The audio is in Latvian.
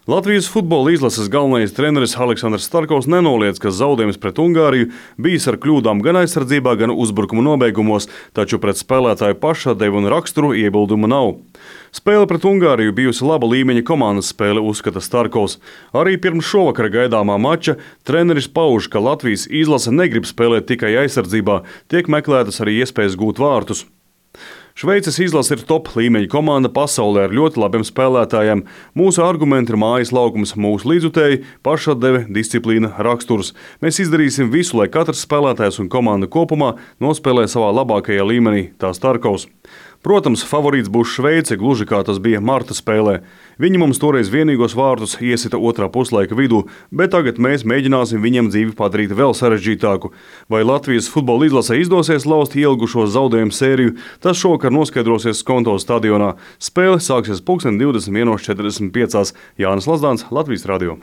Latvijas futbola izlases galvenais treneris Aleksandrs Starkovs nenoliedz, ka zaudējums pret Ungāriju bijis ar kļūdām gan aizsardzībā, gan uzbrukuma nobeigumos, taču pret spēlētāju pašatdevi un raksturu iebildumu nav. Spēle pret Ungāriju bijusi laba līmeņa komandas spēle, uzskata Starkovs. Arī pirms šovakara gaidāmā mača treneris pauž, ka Latvijas izlase negrib spēlēt tikai aizsardzībā, tiek meklētas arī iespējas gūt vārtus. Šveices izlase ir top līmeņa komanda pasaulē ar ļoti labiem spēlētājiem. Mūsu argumenti ir mājas laukums, mūsu līdzutēji, pašatdeve, disciplīna, raksturs. Mēs izdarīsim visu, lai katrs spēlētājs un komanda kopumā nospēlē savā labākajā līmenī, tā Starkovs. Protams, favorīts būs Šveice, gluži kā tas bija marta spēlē. Viņi mums toreiz vienīgos vārtus iesita otrā puslaika vidū, bet tagad mēs mēģināsim viņiem dzīvi padarīt vēl sarežģītāku. Vai Latvijas futbola izlasē izdosies lauzt ilgušo zaudējumu sēriju, tas šovakar noskaidrosies Skonto stadionā. Spēle sāksies 21:45. Jānis Lazdāns, Latvijas radio.